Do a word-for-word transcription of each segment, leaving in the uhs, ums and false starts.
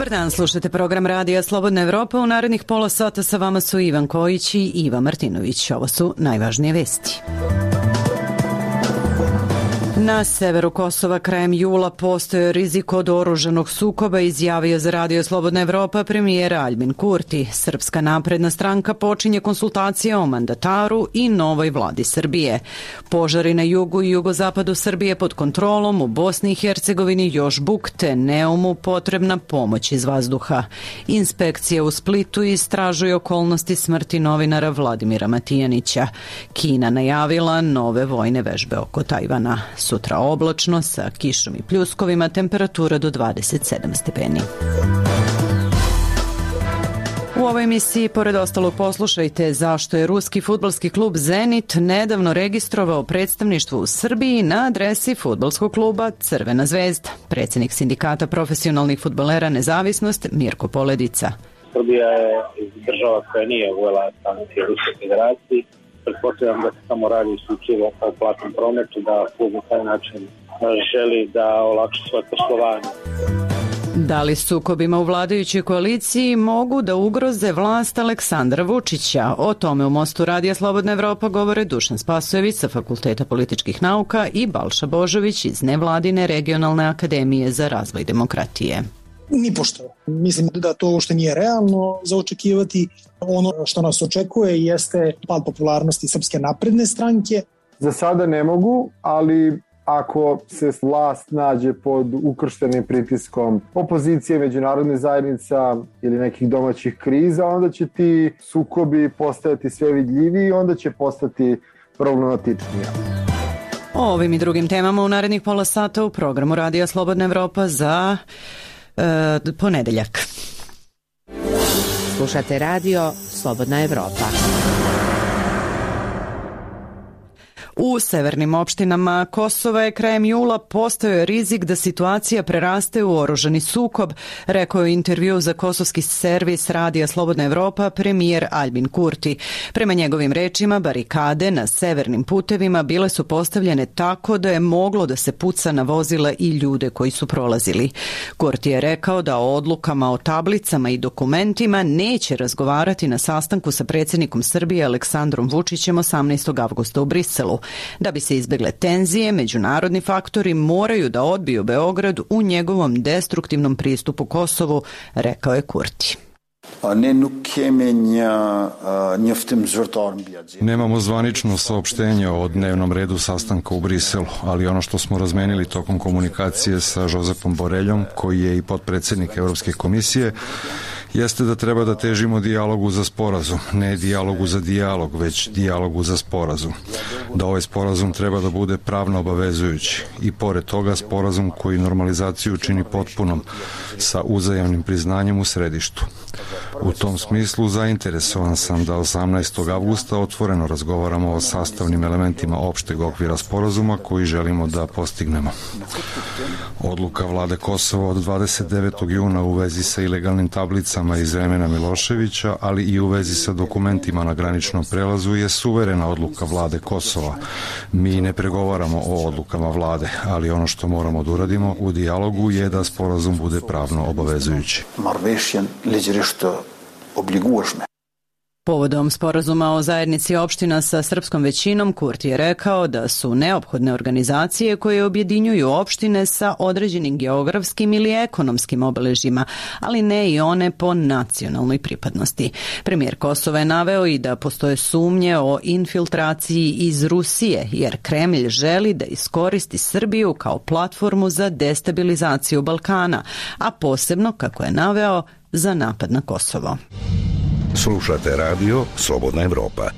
Dobar dan, slušate program Radija Slobodna Evropa. U narednih pola sata sa vama su Ivan Kojić i Iva Martinović. Ovo su najvažnije vesti. Na severu Kosova krajem jula postoje rizik od oružanog sukoba, izjavio za Radio Slobodna Evropa premijer Aljbin Kurti. Srpska napredna stranka počinje konsultacije o mandataru i novoj vladi Srbije. Požari na jugu i jugozapadu Srbije pod kontrolom, u Bosni i Hercegovini još bukte, Neumu potrebna pomoć iz vazduha. Inspekcija u Splitu istražuje okolnosti smrti novinara Vladimira Matijanića. Kina najavila nove vojne vežbe oko Tajvana. Sutra oblačno sa kišom i pljuskovima, temperatura do dvadeset sedam stepeni. U ovoj emisiji, pored ostalog, poslušajte zašto je ruski fudbalski klub Zenit nedavno registrovao predstavništvo u Srbiji na adresi fudbalskog kluba Crvena zvezda. Predsjednik sindikata profesionalnih fudbalera Nezavisnost Mirko Poledica. Srbija je država koja nije uvela sankcije Ruske federacije. Pretpostavljam da se samo radi isključivo o platnom prometu, da klub na taj način želi da olakša svoje poslovanje. Da li sukobima u vladajućoj koaliciji mogu da ugroze vlast Aleksandra Vučića? O tome u Mostu Radija Slobodna Evropa govore Dušan Spasojević sa Fakulteta političkih nauka i Balša Božović iz nevladine regionalne akademije za razvoj demokratije. Nipošto. Mislim da to uopšte nije realno za očekivati. Ono što nas očekuje jeste pad popularnosti Srpske napredne stranke. Za sada ne mogu, ali ako se vlast nađe pod ukrštenim pritiskom opozicije, međunarodne zajednica ili nekih domaćih kriza, onda će ti sukobi postajati sve vidljiviji i onda će postati problematičnija. O ovim i drugim temama u narednih pola sata u programu Radija Slobodna Evropa za e, ponedeljak. Slušate Radio Slobodna Evropa. U severnim opštinama Kosova je krajem jula postojao rizik da situacija preraste u oružani sukob, rekao je u intervju za kosovski servis Radija Slobodna Evropa premijer Aljbin Kurti. Prema njegovim rečima, barikade na severnim putevima bile su postavljene tako da je moglo da se puca na vozila i ljude koji su prolazili. Kurti je rekao da o odlukama o tablicama i dokumentima neće razgovarati na sastanku sa predsjednikom Srbije Aleksandrom Vučićem osamnaestog avgusta u Briselu. Da bi se izbegle tenzije, međunarodni faktori moraju da odbiju Beograd u njegovom destruktivnom pristupu Kosovu, rekao je Kurti. Nemamo zvanično saopštenje o dnevnom redu sastanka u Briselu, ali ono što smo razmenili tokom komunikacije sa Josepom Boreljom, koji je i potpredsjednik Evropske komisije, jeste da treba da težimo dijalogu za sporazum, ne dijalogu za dijalog, već dijalogu za sporazum. Da ovaj sporazum treba da bude pravno obavezujući i pored toga sporazum koji normalizaciju čini potpunom sa uzajamnim priznanjem u središtu. U tom smislu zainteresovan sam da osamnaestog avgusta otvoreno razgovaramo o sastavnim elementima opšteg okvira sporazuma koji želimo da postignemo. Odluka vlade Kosova od dvadeset devetog juna u vezi sa ilegalnim tablicama iz vremena Miloševića, ali i u vezi sa dokumentima na graničnom prelazu je suverena odluka vlade Kosova. Mi ne pregovaramo o odlukama vlade, ali ono što moramo da uradimo u dijalogu je da sporazum bude pravno obavezujući. Povodom sporazuma o zajednici opština sa srpskom većinom, Kurti je rekao da su neophodne organizacije koje objedinjuju opštine sa određenim geografskim ili ekonomskim obeležjima, ali ne i one po nacionalnoj pripadnosti. Premijer Kosova je naveo i da postoje sumnje o infiltraciji iz Rusije, jer Kremlj želi da iskoristi Srbiju kao platformu za destabilizaciju Balkana, a posebno, kako je naveo, za napad na Kosovo. Slušate Radio Slobodna Evropa.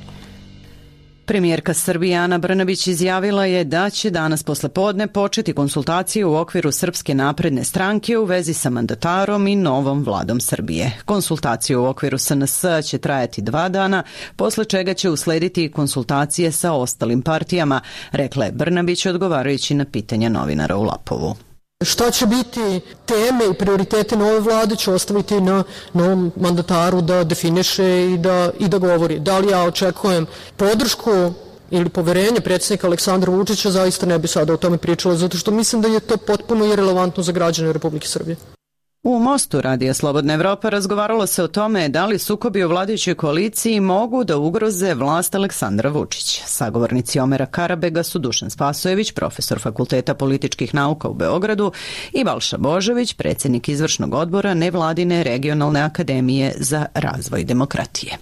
Premijerka Srbije Ana Brnabić izjavila je da će danas posle podne početi konsultacije u okviru Srpske napredne stranke u vezi sa mandatarom i novom vladom Srbije. Konsultacije u okviru S N S će trajati dva dana, posle čega će uslediti konsultacije sa ostalim partijama, rekla je Brnabić odgovarajući na pitanja novinara u Lapovu. Šta će biti teme i prioritete nove vlade će ostaviti na novom mandataru da definiše i da, i da govori. Da li ja očekujem podršku ili poverenje predsjednika Aleksandra Vučića, zaista ne bi sada o tome pričala, zato što mislim da je to potpuno irelevantno za građane Republike Srbije. U Mostu Radija Slobodna Evropa razgovaralo se o tome da li sukobi u vladajućoj koaliciji mogu da ugroze vlast Aleksandra Vučića. Sagovornici Omera Karabega su Dušan Spasojević, profesor Fakulteta političkih nauka u Beogradu, i Balša Božović, predsjednik izvršnog odbora Nevladine regionalne akademije za razvoj demokratije.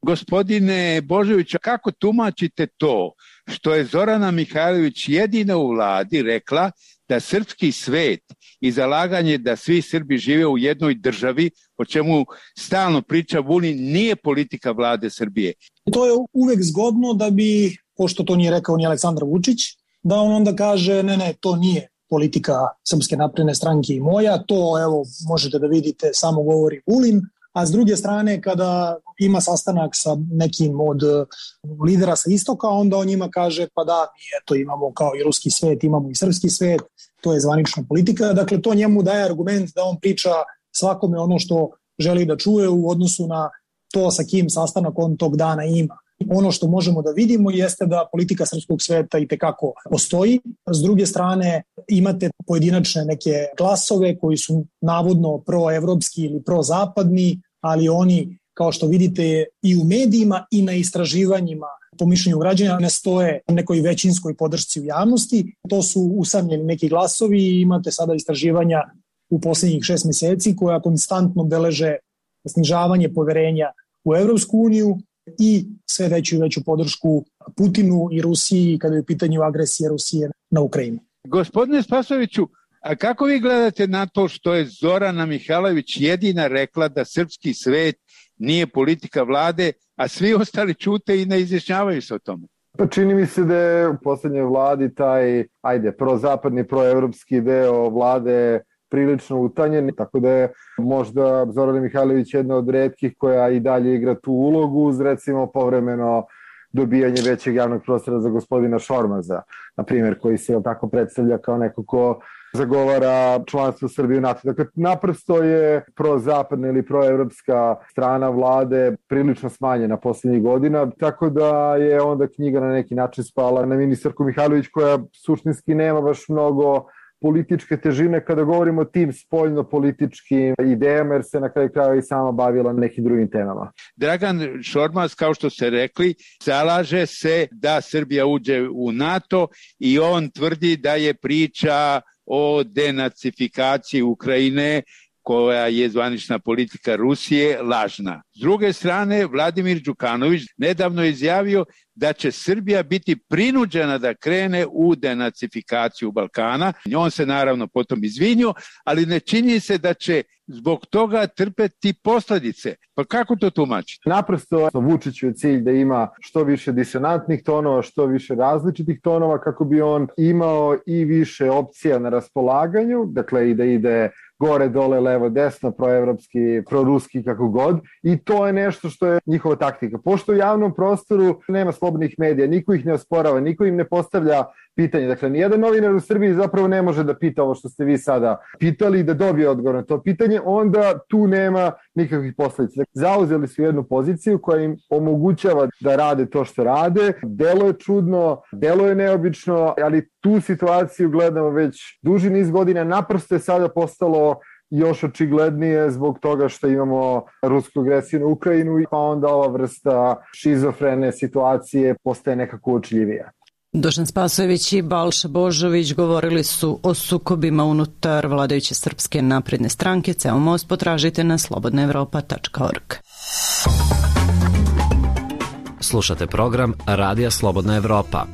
Gospodine Božović, kako tumačite to što je Zorana Mihajlović jedina u vladi rekla da srpski svet i zalaganje da svi Srbi žive u jednoj državi, o čemu stalno priča Vulin, nije politika vlade Srbije? To je uvek zgodno da bi, pošto to nije rekao ni Aleksandar Vučić, da on onda kaže ne, ne, to nije politika Srpske napredne stranke i moja, to evo možete da vidite samo govori Vulin, a s druge strane kada ima sastanak sa nekim od lidera sa istoka, onda on njima kaže pa da, mi eto imamo kao i ruski svet, imamo i srpski svet, to je zvanična politika. Dakle, to njemu daje argument da on priča svakome ono što želi da čuje u odnosu na to sa kim sastanak on tog dana ima. Ono što možemo da vidimo jeste da politika srpskog sveta i tekako postoji. S druge strane imate pojedinačne neke glasove koji su navodno proevropski ili prozapadni, ali oni, kao što vidite, i u medijima i na istraživanjima po mišljenju građana ne stoje nekoj većinskoj podršci u javnosti. To su usamljeni neki glasovi i imate sada istraživanja u poslednjih šest meseci koja konstantno beleže snižavanje poverenja u Evropsku uniju i sve veću i veću podršku Putinu i Rusiji kada je u pitanju agresije Rusije na Ukrajinu. Gospodine Spasojeviću, a kako vi gledate na to što je Zorana Mihajlović jedina rekla da srpski svet nije politika vlade, a svi ostali ćute i ne izjašnjavaju se o tome? Pa čini mi se da je u poslednjoj vladi taj, ajde, prozapadni, proevropski deo vlade prilično utanjen, tako da je možda Zorana Mihajlović jedna od retkih koja i dalje igra tu ulogu uz recimo povremeno dobijanje većeg javnog prostora za gospodina Šormaza, na primjer, koji se tako predstavlja kao neko ko zagovara članstvo Srbije u NATO. Dakle, naprosto je prozapadna ili proevropska strana vlade prilično smanjena poslednjih godina, tako da je onda knjiga na neki način spala na ministarku Mihajlović, koja suštinski nema baš mnogo političke težine kada govorimo o tim spoljno-političkim idejama, jer se na kraju kraja i sama bavila nekim drugim temama. Dragan Šormaz, kao što ste rekli, zalaže se da Srbija uđe u NATO i on tvrdi da je priča o denacifikaciji Ukrajine, koja je zvanična politika Rusije, lažna. S druge strane, Vladimir Đukanović nedavno je izjavio da će Srbija biti prinuđena da krene u denacifikaciju Balkana. On se naravno potom izvinio, ali ne čini se da će zbog toga trpeti posljedice. Pa kako to tumačiti? Naprosto Vučiću je cilj da ima što više disonantnih tonova, što više različitih tonova, kako bi on imao i više opcija na raspolaganju, dakle i da ide gore, dole, levo, desno, proevropski, proruski, kako god. I to je nešto što je njihova taktika. Pošto u javnom prostoru nema slobodnih medija, niko ih ne osporava, niko im ne postavlja pitanje. Dakle, nijedan novinar u Srbiji zapravo ne može da pita ovo što ste vi sada pitali i da dobije odgovor na to pitanje, onda tu nema nikakvih posledica. Dakle, zauzeli su jednu poziciju koja im omogućava da rade to što rade. Delo je čudno, delo je neobično, ali tu situaciju gledamo već duži niz godina. Naprosto je sada postalo još očiglednije zbog toga što imamo rusku agresiju na Ukrajinu i pa onda ova vrsta šizofrene situacije postaje nekako uočljivija. Dušan Spasojević i Balša Božović govorili su o sukobima unutar vladajuće Srpske napredne stranke. Ceo most potražite na slobodna evropa tačka org. Slušate program Radija Slobodna Evropa.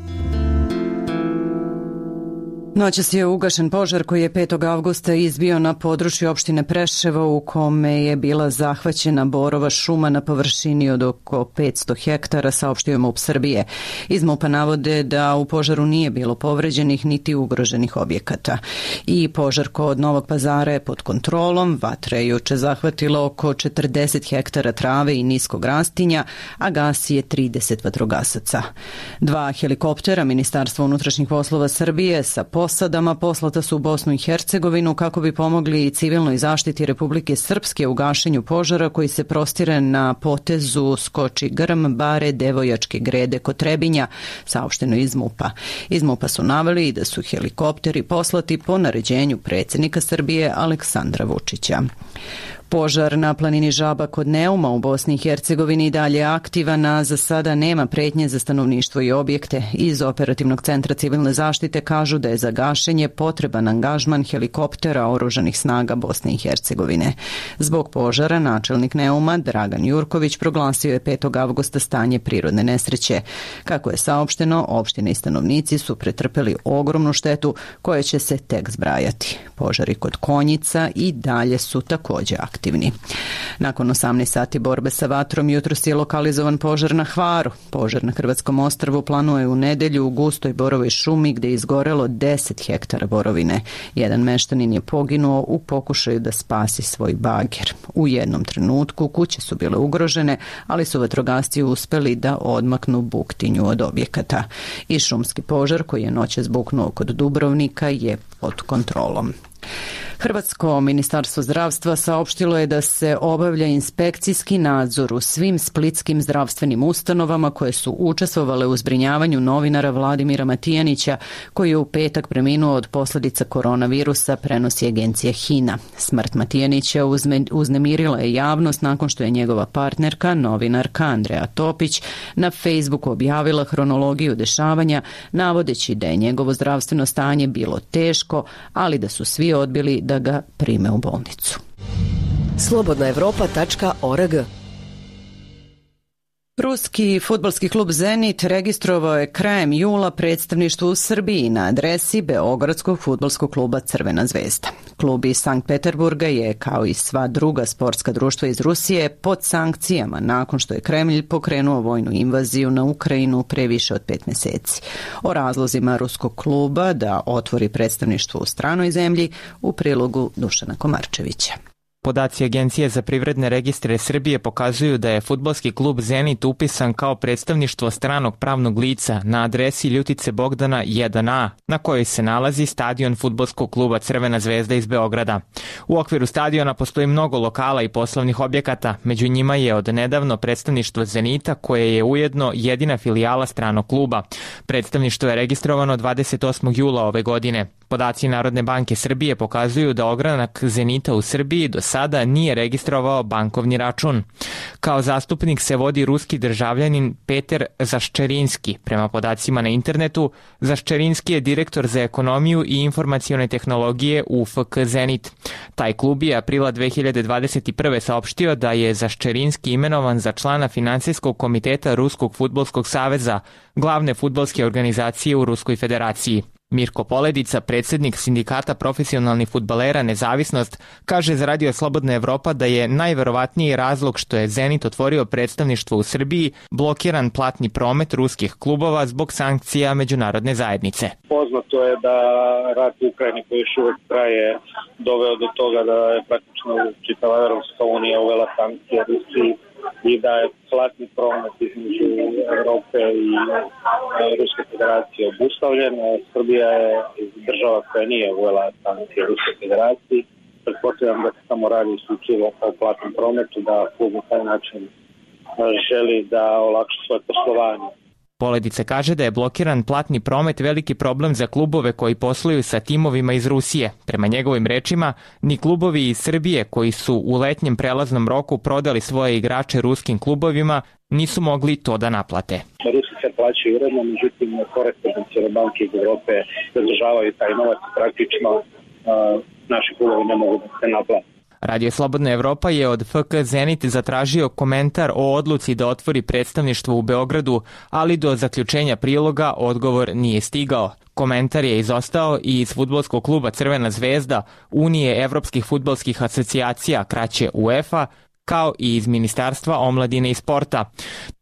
Noćas je ugašen požar koji je petog avgusta izbio na području opštine Preševo, u kome je bila zahvaćena borova šuma na površini od oko petsto hektara, saopštio MUP Srbije. Iz MUP-a navode da u požaru nije bilo povređenih niti ugroženih objekata. I požar kod Novog Pazara je pod kontrolom. Vatra je juče zahvatila oko četrdeset hektara trave i niskog rastinja, a gasi je trideset vatrogasaca. Dva helikoptera Ministarstva unutrašnjih poslova Srbije sa posadama poslata su u Bosnu i Hercegovinu kako bi pomogli civilnoj zaštiti Republike Srpske u gašenju požara koji se prostire na potezu Skoči Grm, Bare, Devojačke Grede kod Trebinja, saopšteno iz MUP-a. Iz MUP-a su naveli da su helikopteri poslati po naređenju predsjednika Srbije Aleksandra Vučića. Požar na planini Žaba kod Neuma u Bosni i Hercegovini i dalje aktivan, a za sada nema pretnje za stanovništvo i objekte. Iz Operativnog centra civilne zaštite kažu da je za gašenje potreban angažman helikoptera oružanih snaga Bosne i Hercegovine. Zbog požara načelnik Neuma Dragan Jurković proglasio je petog avgusta stanje prirodne nesreće. Kako je saopšteno, opštine i stanovnici su pretrpeli ogromnu štetu koja će se tek zbrajati. Požari kod Konjica i dalje su također aktivni. Aktivni. Nakon osamnaest sati borbe sa vatrom jutros je lokalizovan požar na Hvaru. Požar na Hrvatskom ostrvu planuje u nedelju u gustoj borovoj šumi gdje je izgorelo deset hektara borovine. Jedan meštanin je poginuo u pokušaju da spasi svoj bager. U jednom trenutku kuće su bile ugrožene, ali su vatrogasci uspeli da odmaknu buktinju od objekata. I šumski požar koji je noćas buknuo kod Dubrovnika je pod kontrolom. Hrvatsko ministarstvo zdravstva saopštilo je da se obavlja inspekcijski nadzor u svim splitskim zdravstvenim ustanovama koje su učestvovale u zbrinjavanju novinara Vladimira Matijanića, koji je u petak preminuo od posljedica koronavirusa, prenosi agencija HINA. Smrt Matijanića uznemirila je javnost nakon što je njegova partnerka, novinarka Andreja Topić, na Facebooku objavila hronologiju dešavanja, navodeći da je njegovo zdravstveno stanje bilo teško, ali da su svi odbili da ga prime u bolnicu. slobodna evropa tačka org. Ruski fudbalski klub Zenit registrovao je krajem jula predstavništvo u Srbiji na adresi Beogradskog fudbalskog kluba Crvena zvezda. Klub iz Sankt Peterburga je, kao i sva druga sportska društva iz Rusije, pod sankcijama nakon što je Kremlj pokrenuo vojnu invaziju na Ukrajinu pre više od pet mjeseci. O razlozima ruskog kluba da otvori predstavništvo u stranoj zemlji u prilogu Dušana Komarčevića. Podaci Agencije za privredne registre Srbije pokazuju da je fudbalski klub Zenit upisan kao predstavništvo stranog pravnog lica na adresi Ljutice Bogdana jedan a, na kojoj se nalazi stadion fudbalskog kluba Crvena zvezda iz Beograda. U okviru stadiona postoji mnogo lokala i poslovnih objekata, među njima je od nedavno predstavništvo Zenita, koje je ujedno jedina filijala stranog kluba. Predstavništvo je registrovano dvadeset osmog jula ove godine. Podaci Narodne banke Srbije pokazuju da ogranak Zenita u Srbiji do sada nije registrovao bankovni račun. Kao zastupnik se vodi ruski državljanin Peter Zaščerinski. Prema podacima na internetu, Zaščerinski je direktor za ekonomiju i informacione tehnologije u F K Zenit. Taj klub je aprila dve hiljade dvadeset prve saopštio da je Zaščerinski imenovan za člana finansijskog komiteta Ruskog fudbalskog saveza, glavne fudbalske organizacije u Ruskoj federaciji. Mirko Poledica, predsjednik sindikata profesionalnih fudbalera Nezavisnost, kaže za Radio Slobodna Evropa da je najverovatniji razlog što je Zenit otvorio predstavništvo u Srbiji blokiran platni promet ruskih klubova zbog sankcija međunarodne zajednice. Poznato je da rat u Ukrajini koji još uvijek traje doveo do toga da je praktično čitava Evropska unija uvela sankcije Rusiji i da je platni promet između Europe i Ruske federacije obustavljen. Srbija je država koja nije uvela sankcije Ruske federacije. Pretpostavljam da se samo radi isključivo o platnom prometu, da klub na taj način želi da olakša svoje poslovanje. Poledice kaže da je blokiran platni promet veliki problem za klubove koji posluju sa timovima iz Rusije. Prema njegovim rečima, ni klubovi iz Srbije koji su u letnjem prelaznom roku prodali svoje igrače ruskim klubovima nisu mogli to da naplate. Rusi se plaćaju uredno, međutim korespondencijne banke iz Europe zadržavaju taj novac i praktično uh, naši klubovi ne mogu da se naplate. Radio Slobodna Evropa je od F K Zenit zatražio komentar o odluci da otvori predstavništvo u Beogradu, ali do zaključenja priloga odgovor nije stigao. Komentar je izostao i iz fudbalskog kluba Crvena zvezda, Unije evropskih fudbalskih asocijacija, kraće UEFA, kao i iz Ministarstva omladine i sporta.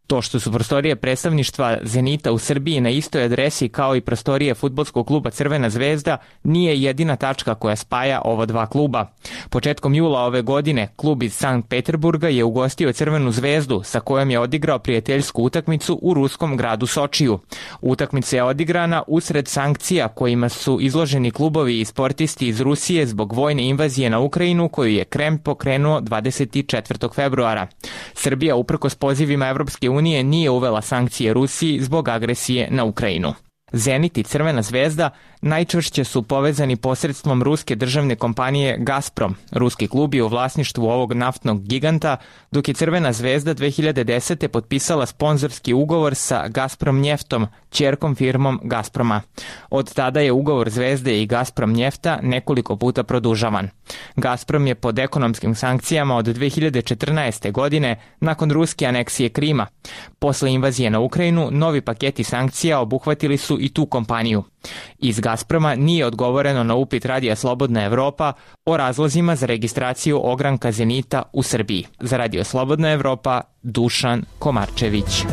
To što su prostorije predstavništva Zenita u Srbiji na istoj adresi kao i prostorije fudbalskog kluba Crvena zvezda nije jedina tačka koja spaja ova dva kluba. Početkom jula ove godine klub iz Sankt Peterburga je ugostio Crvenu zvezdu sa kojom je odigrao prijateljsku utakmicu u ruskom gradu Sočiju. Utakmica je odigrana usred sankcija kojima su izloženi klubovi i sportisti iz Rusije zbog vojne invazije na Ukrajinu koju je Kreml pokrenuo dvadeset četvrtog februara. Srbija uprkos pozivima Evropske unije nije uvela sankcije Rusiji zbog agresije na Ukrajinu. Zenit i Crvena zvezda najčvršće su povezani posredstvom ruske državne kompanije Gazprom. Ruski klub je u vlasništvu ovog naftnog giganta, dok je Crvena zvezda dve hiljade desete. potpisala sponzorski ugovor sa Gazprom njeftom, ćerkom firmom Gazproma. Od tada je ugovor Zvezde i Gazprom njefta nekoliko puta produžavan. Gazprom je pod ekonomskim sankcijama od dve hiljade četrnaeste. godine nakon ruske aneksije Krima. Posle invazije na Ukrajinu, novi paketi sankcija obuhvatili su i tu kompaniju. Iz Gazproma nije odgovoreno na upit Radija Slobodna Evropa o razlozima za registraciju ogranka Zenita u Srbiji. Za Radio Slobodna Evropa, Dušan Komarčević.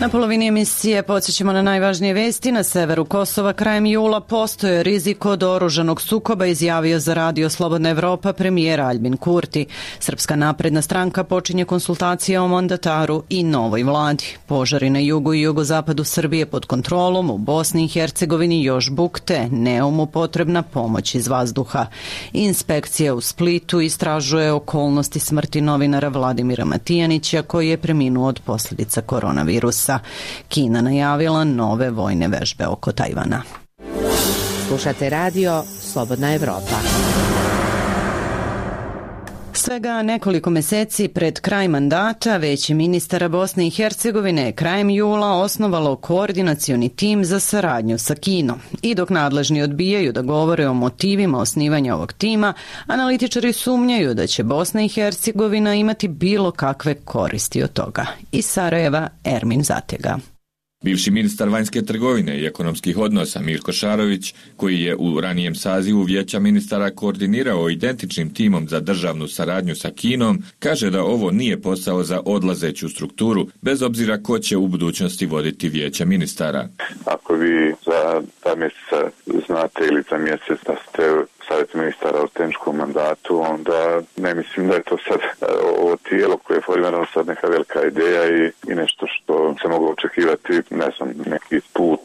Na polovini emisije podsjećamo na najvažnije vesti. Na severu Kosova krajem jula postoje rizik od oružanog sukoba, izjavio za Radio Slobodna Evropa premijer Aljbin Kurti. Srpska napredna stranka počinje konsultacije o mandataru i novoj vladi. Požari na jugu i jugozapadu Srbije pod kontrolom, u Bosni i Hercegovini još bukte, Neumu potrebna pomoć iz vazduha. Inspekcija u Splitu istražuje okolnosti smrti novinara Vladimira Matijanića koji je preminuo od posljedica koronavirusa. Kina najavila nove vojne vežbe oko Tajvana. Slušate radio Slobodna Evropa. Svega nekoliko meseci pred kraj mandata Veće ministara Bosne i Hercegovine krajem jula osnovalo koordinacioni tim za saradnju sa Kinom. I dok nadležni odbijaju da govore o motivima osnivanja ovog tima, analitičari sumnjaju da će Bosna i Hercegovina imati bilo kakve koristi od toga. Iz Sarajeva, Ermin Zatega. Bivši ministar vanjske trgovine i ekonomskih odnosa Mirko Šarović, koji je u ranijem sazivu Vijeća ministara koordinirao identičnim timom za državnu saradnju sa Kinom, kaže da ovo nije posao za odlazeću strukturu, bez obzira ko će u budućnosti voditi Vijeća ministara. Ako vi za dva mjeseca znate ili za mjesec da ste savjet ministara u tehničkom mandatu, onda ne mislim da je to sad ovo tijelo koje je formirano sad neka velika ideja i, i nešto što se moglo očekivati, ne znam, neki put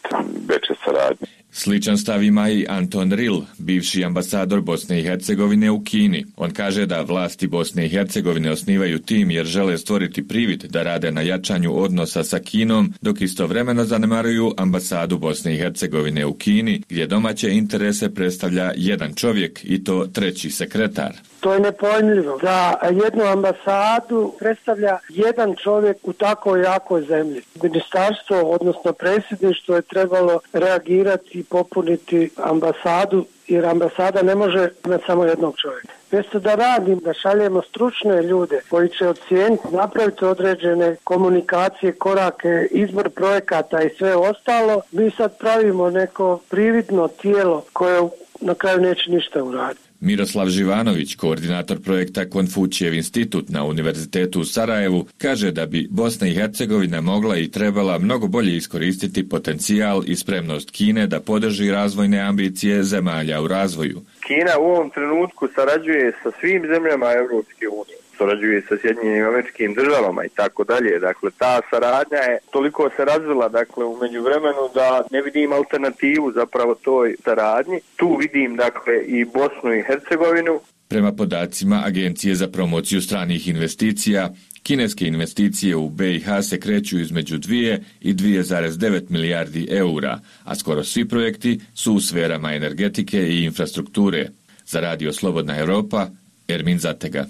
veće saradnje. Sličan stav ima i Anton Ril, bivši ambasador Bosne i Hercegovine u Kini. On kaže da vlasti Bosne i Hercegovine osnivaju tim jer žele stvoriti privid da rade na jačanju odnosa sa Kinom, dok istovremeno zanemaruju ambasadu Bosne i Hercegovine u Kini, gdje domaće interese predstavlja jedan čovjek i to treći sekretar. To je nepojmljivo da jednu ambasadu predstavlja jedan čovjek u tako jakoj zemlji. Ministarstvo, odnosno predsjedništvo je trebalo reagirati i popuniti ambasadu, jer ambasada ne može imati samo jednog čovjeka. Mjesto da radim, da šaljemo stručne ljude koji će ocijeniti, napraviti određene komunikacije, korake, izbor projekata i sve ostalo, mi sad pravimo neko prividno tijelo koje na kraju neće ništa uraditi. Miroslav Živanović, koordinator projekta Konfučijev institut na Univerzitetu u Sarajevu, kaže da bi Bosna i Hercegovina mogla i trebala mnogo bolje iskoristiti potencijal i spremnost Kine da podrži razvojne ambicije zemalja u razvoju. Kina u ovom trenutku sarađuje sa svim zemljama Evropske unije. Surađuje sa Sjedinjenim Američkim Državama i tako dalje. Dakle, ta saradnja je toliko se razvila, dakle, u međuvremenu da ne vidim alternativu zapravo toj saradnji. Tu vidim, dakle, i Bosnu i Hercegovinu. Prema podacima Agencije za promociju stranih investicija, kineske investicije u B i H se kreću između dvije i dvije zarez devet milijardi eura, a skoro svi projekti su u sferama energetike i infrastrukture. Za Radio Slobodna Evropa, Ermin Zatega.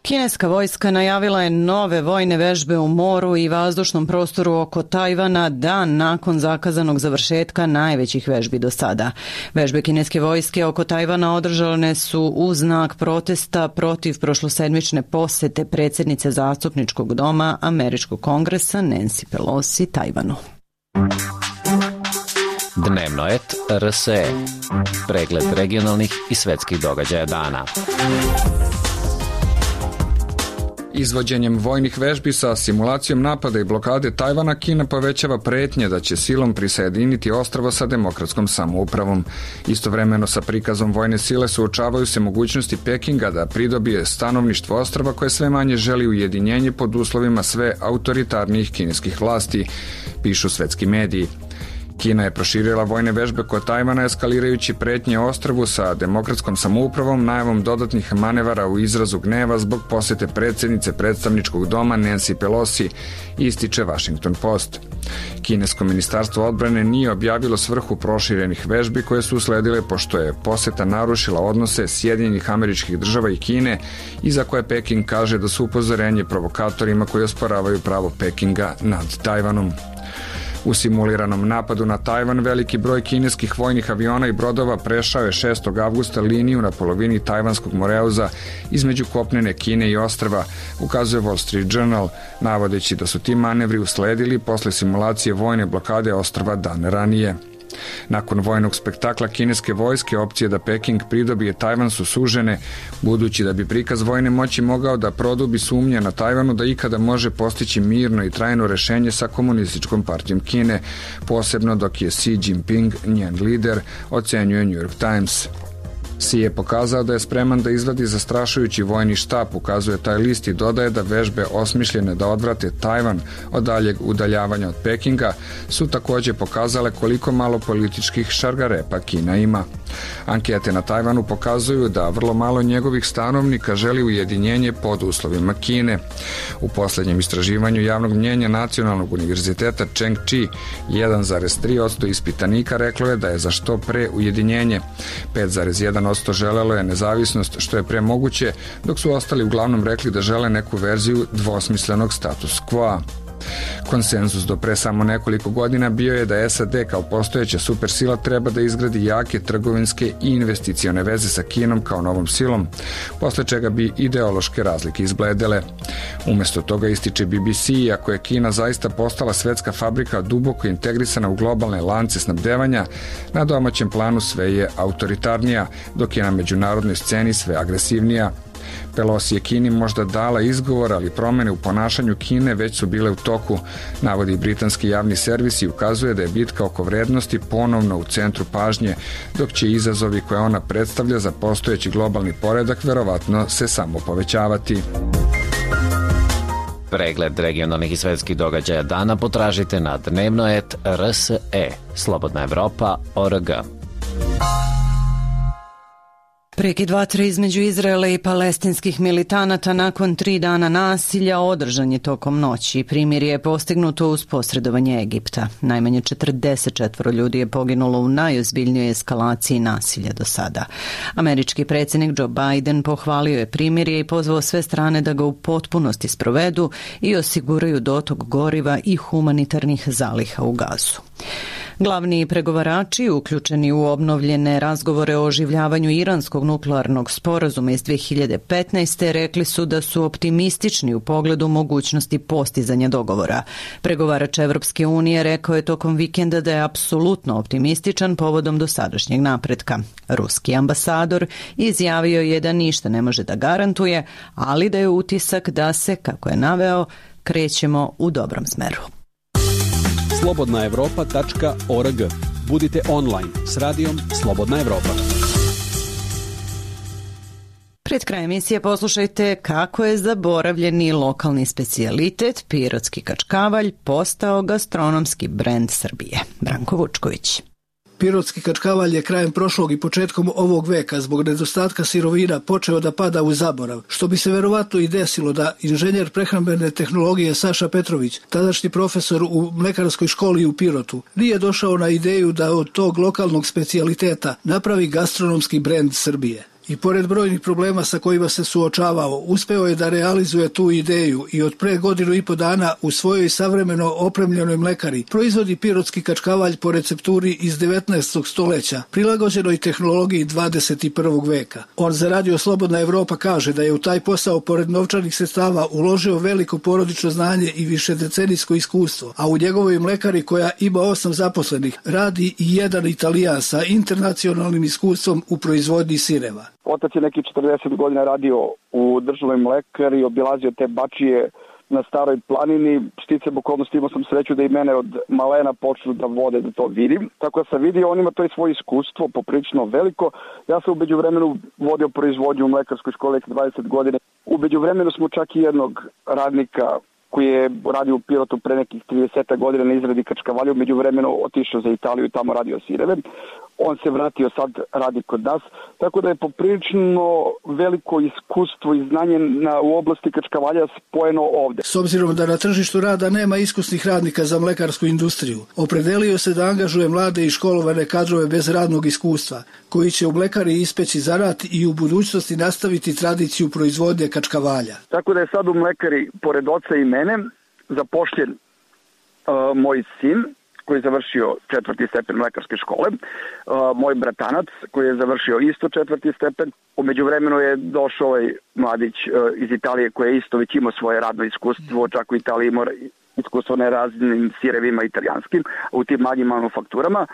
Kineska vojska najavila je nove vojne vežbe u moru i vazdušnom prostoru oko Tajvana dan nakon zakazanog završetka najvećih vežbi do sada. Vežbe kineske vojske oko Tajvana održane su u znak protesta protiv prošlosedmične posete predsjednice zastupničkog doma Američkog kongresa Nancy Pelosi Tajvanu. Dnevnoet R S E. Pregled regionalnih i svetskih događaja dana. Izvođenjem vojnih vežbi sa simulacijom napada i blokade Tajvana, Kina povećava pretnje da će silom prisajediniti ostrvo sa demokratskom samoupravom. Istovremeno sa prikazom vojne sile suočavaju se mogućnosti Pekinga da pridobije stanovništvo ostrva koje sve manje želi ujedinjenje pod uslovima sve autoritarnijih kineskih vlasti, pišu svetski mediji. Kina je proširila vojne vežbe kod Tajvana eskalirajući pretnje ostrvu sa demokratskom samoupravom najavom dodatnih manevara u izrazu gneva zbog posete predsjednice predstavničkog doma Nancy Pelosi, ističe Washington Post. Kinesko ministarstvo odbrane nije objavilo svrhu proširenih vežbi koje su usledile pošto je poseta narušila odnose Sjedinjenih Američkih Država i Kine i za koje Peking kaže da su upozorenje provokatorima koji osporavaju pravo Pekinga nad Tajvanom. U simuliranom napadu na Tajvan veliki broj kineskih vojnih aviona i brodova prešao je šestog avgusta liniju na polovini tajvanskog moreuza između kopnene Kine i ostrva, ukazuje Wall Street Journal, navodeći da su ti manevri usledili posle simulacije vojne blokade ostrva dan ranije. Nakon vojnog spektakla kineske vojske, opcije da Peking pridobije Tajvan su sužene, budući da bi prikaz vojne moći mogao da produbi sumnje na Tajvanu da ikada može postići mirno i trajno rešenje sa komunističkom partijom Kine, posebno dok je Xi Jinping njen lider, ocenjuje New York Times. Xi je pokazao da je spreman da izvadi zastrašujući vojni štab, ukazuje taj list i dodaje da vežbe osmišljene da odvrate Tajvan od daljeg udaljavanja od Pekinga su takođe pokazale koliko malo političkih šargarepa Kina ima. Ankete na Tajvanu pokazuju da vrlo malo njegovih stanovnika želi ujedinjenje pod uslovima Kine. U poslednjem istraživanju javnog mnjenja Nacionalnog univerziteta Chengchi jedan zarez tri posto ispitanika reklo je da je za što pre ujedinjenje, pet zarez jedan posto želelo je nezavisnost što je pre moguće, dok su ostali uglavnom rekli da žele neku verziju dvosmislenog status quo. Konsenzus do pre samo nekoliko godina bio je da S A D kao postojeća supersila treba da izgradi jake trgovinske i investicione veze sa Kinom kao novom silom, posle čega bi ideološke razlike izbledele. Umesto toga ističe B B C, iako je Kina zaista postala svetska fabrika duboko integrisana u globalne lance snabdevanja, na domaćem planu sve je autoritarnija, dok je na međunarodnoj sceni sve agresivnija. Pelosi je Kini možda dala izgovor, ali promene u ponašanju Kine već su bile u toku, navodi britanski javni servis i ukazuje da je bitka oko vrednosti ponovno u centru pažnje, dok će izazovi koje ona predstavlja za postojeći globalni poredak verovatno se samo povećavati. Pregled regionalnih i svetskih događaja dana potražite na dnevnoet R S E, Slobodna Evropa, O R G. Prekid vatre između Izraela i palestinskih militanata nakon tri dana nasilja održan je tokom noći. Primirje je postignuto uz posredovanje Egipta. Najmanje četrdeset četiri ljudi je poginulo u najozbiljnijoj eskalaciji nasilja do sada. Američki predsjednik Joe Biden pohvalio je primirje i pozvao sve strane da ga u potpunosti sprovedu i osiguraju dotok goriva i humanitarnih zaliha u Gazu. Glavni pregovarači uključeni u obnovljene razgovore o oživljavanju iranskog nuklearnog sporazuma iz dve hiljade petnaeste. rekli su da su optimistični u pogledu mogućnosti postizanja dogovora. Pregovarač Evropske unije rekao je tokom vikenda da je apsolutno optimističan povodom dosadašnjeg napretka. Ruski ambasador izjavio je da ništa ne može da garantuje, ali da je utisak da se, kako je naveo, krećemo u dobrom smeru. slobodna evropa tačka O R G. Budite online s radijom Slobodna Evropa. Pred kraj emisije poslušajte kako je zaboravljeni lokalni specijalitet pirotski kačkavalj postao gastronomski brend Srbije. Branko Vučković. Pirotski kačkavalj je krajem prošlog i početkom ovog veka zbog nedostatka sirovina počeo da pada u zaborav, što bi se verovatno i desilo da inženjer prehrambene tehnologije Saša Petrović, tadašnji profesor u mlekarskoj školi u Pirotu, nije došao na ideju da od tog lokalnog specijaliteta napravi gastronomski brend Srbije. I pored brojnih problema sa kojima se suočavao, uspeo je da realizuje tu ideju i od pre godinu i po dana u svojoj savremeno opremljenoj mlekari proizvodi pirotski kačkavalj po recepturi iz devetnaestog stoleća, prilagođenoj tehnologiji dvadeset prvog veka. On za Radio Slobodna Evropa kaže da je u taj posao pored novčanih sredstava uložio veliko porodično znanje i višedecenijsko iskustvo, a u njegovoj mlekari koja ima osam zaposlenih radi i jedan Italijan sa internacionalnim iskustvom u proizvodnji sireva. Otac je neki četrdeset godina radio u državnoj mlekari i obilazio te bačije na Staroj planini. Sticajem okolnosti imao sam sreću da i mene od malena počnu da vode da to vidim. Tako da sam vidio, on ima to i svoje iskustvo, poprilično veliko. Ja sam u međuvremenu vodio proizvodnju u mlekarskoj školi dvadeset godina. U međuvremenu smo čak i jednog radnika koji je radio u Pirotu pre nekih trideset godina na izradi kačkavalja, u međuvremenu otišao za Italiju i tamo radio sireve. On se vratio, sad radi kod nas, tako da je poprilično veliko iskustvo i znanje na, u oblasti kačkavalja spojeno ovde. S obzirom da na tržištu rada nema iskusnih radnika za mlekarsku industriju, opredelio se da angažuje mlade i školovane kadrove bez radnog iskustva, koji će u mlekari ispeći zanat i u budućnosti nastaviti tradiciju proizvodnje kačkavalja. Tako da je sad u mlekari, pored oca i mene, zapošljen uh, moj sin, koji je završio četvrti stepen mlekarske škole, uh, moj bratanac koji je završio isto četvrti stepen. U međuvremenu je došao ovaj mladić uh, iz Italije koji je isto već imao svoje radno iskustvo, čak u Italiji ima iskustvo na raznim sirevima italijanskim, u tim manjim manufakturama.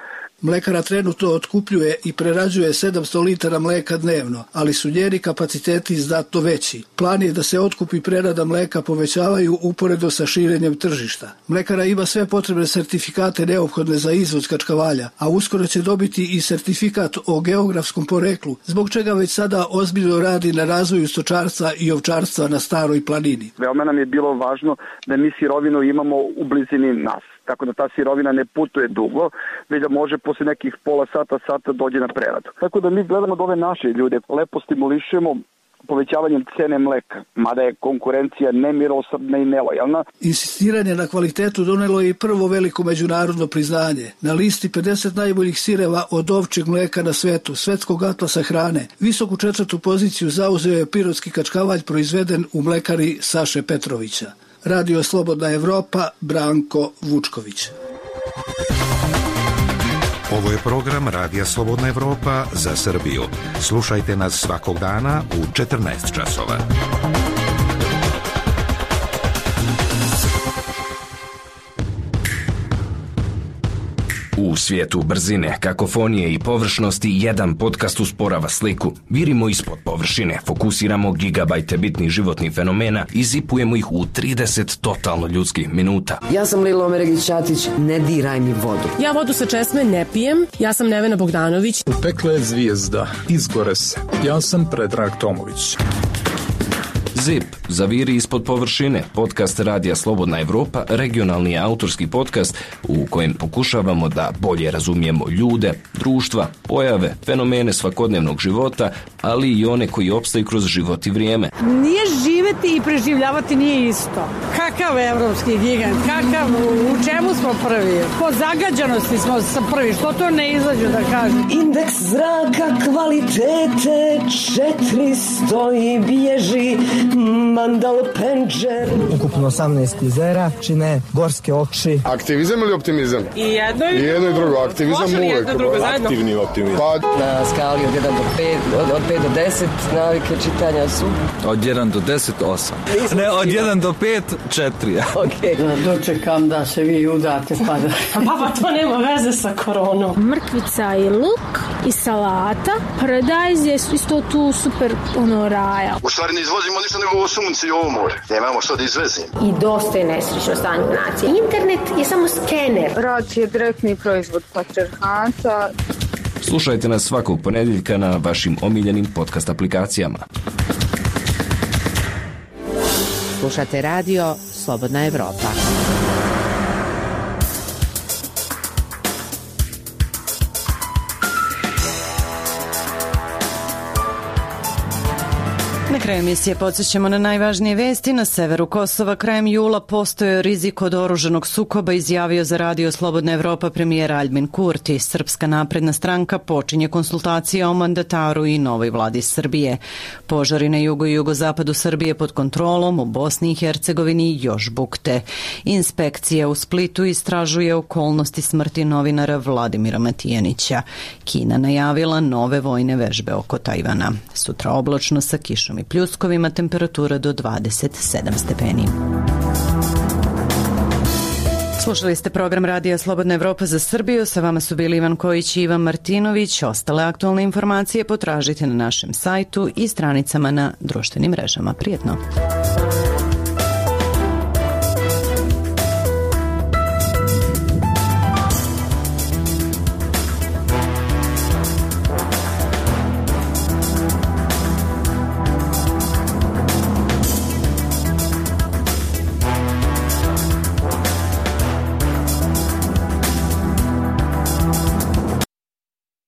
Mlekara trenutno otkupljuje i prerađuje sedamsto litara mleka dnevno, ali su njeni kapaciteti znatno veći. Plan je da se otkup i prerada mleka povećavaju uporedo sa širenjem tržišta. Mlekara ima sve potrebne sertifikate neophodne za izvoz kačkavalja, a uskoro će dobiti i sertifikat o geografskom poreklu, zbog čega već sada ozbiljno radi na razvoju stočarstva i ovčarstva na Staroj planini. Veoma nam je bilo važno da mi sirovinu imamo u blizini nas, tako da ta sirovina ne putuje dugo, već da može posle nekih pola sata, sata dođe na preradu. Tako da mi gledamo da ove naše ljude lepo stimulišemo povećavanjem cene mleka, mada je konkurencija nemilosrdna i nelojalna. Insistiranje na kvalitetu donelo je i prvo veliko međunarodno priznanje. Na listi pedeset najboljih sireva od ovčjeg mleka na svetu, svetskog atlasa hrane, visoku četvrtu poziciju zauzeo je pirotski kačkavalj proizveden u mlekari Saše Petrovića. Radio Slobodna Evropa, Branko Vučković. Ovo je program Radija Slobodna Evropa za Srbiju. Slušajte nas svakog dana u četrnaest časova. U svijetu brzine, kakofonije i površnosti jedan podcast usporava sliku. Virimo ispod površine, fokusiramo gigabajte bitnih životnih fenomena i zipujemo ih u trideset totalno ljudskih minuta. Ja sam Lilo Omeregić-Ćatić, ne diraj mi vodu. Ja vodu sa česme ne pijem, ja sam Nevena Bogdanović. U pekle je zvijezda, izgore se. Ja sam Predrag Tomović. Zip, zaviri ispod površine, podcast Radija Slobodna Evropa, regionalni autorski podcast u kojem pokušavamo da bolje razumijemo ljude, društva, pojave, fenomene svakodnevnog života, ali i one koji opstaju kroz život i vrijeme. Nije živeti i preživljavati nije isto. Kakav evropski gigant, kakav, u čemu smo prvi? Po zagađanosti smo prvi, što to ne izađu da kažem? Indeks zraka kvalitete četiristo i bježi Mandal Penđer. Ukupno osamnaest jezera čine gorske oči. Aktivizam ili optimizam? I jedno i, I jedno i drugo. Aktivizam uvek. Aktivni optimizam. Pa, na skali od jedan do pet, od, od pet do deset navike čitanja su? Od jedan do deset, osam. Ne, od jedan do pet, četiri. Okay. Da dočekam da se vi udate pa da... Papa, to nema veze sa koronom. Mrkvica i luk i salata. Paradajz je isto tu super ono raja. U stvari ne izvozimo ništa nego ovo sunce i ovo more. Nemamo što da izvezimo. I dosta je nesrećno stanje nacije. Internet je samo skener. Rad je direktni proizvod patriarhata. Slušajte nas svakog ponedjeljka na vašim omiljenim podcast aplikacijama. Slušate radio Slobodna Evropa. Na kraju emisije podsjećamo na najvažnije vesti. Na severu Kosova krajem jula postoje rizik od oruženog sukoba, izjavio za radio Slobodna Evropa premijer Aljbin Kurti. Srpska napredna stranka počinje konsultacije o mandataru i novoj vladi Srbije. Požari na jugu i jugozapadu Srbije pod kontrolom, u Bosni i Hercegovini još bukte. Inspekcija u Splitu istražuje okolnosti smrti novinara Vladimira Matijanića. Kina najavila nove vojne vežbe oko Tajvana. Sutra oblačno sa kišom i pljuskovima, temperatura do dvadeset sedam stepeni. Slušali ste program Radija Slobodna Evropa za Srbiju. Sa vama su bili Ivan Kojić i Ivan Martinović. Ostale aktualne informacije potražite na našem sajtu i stranicama na društvenim mrežama. Prijetno!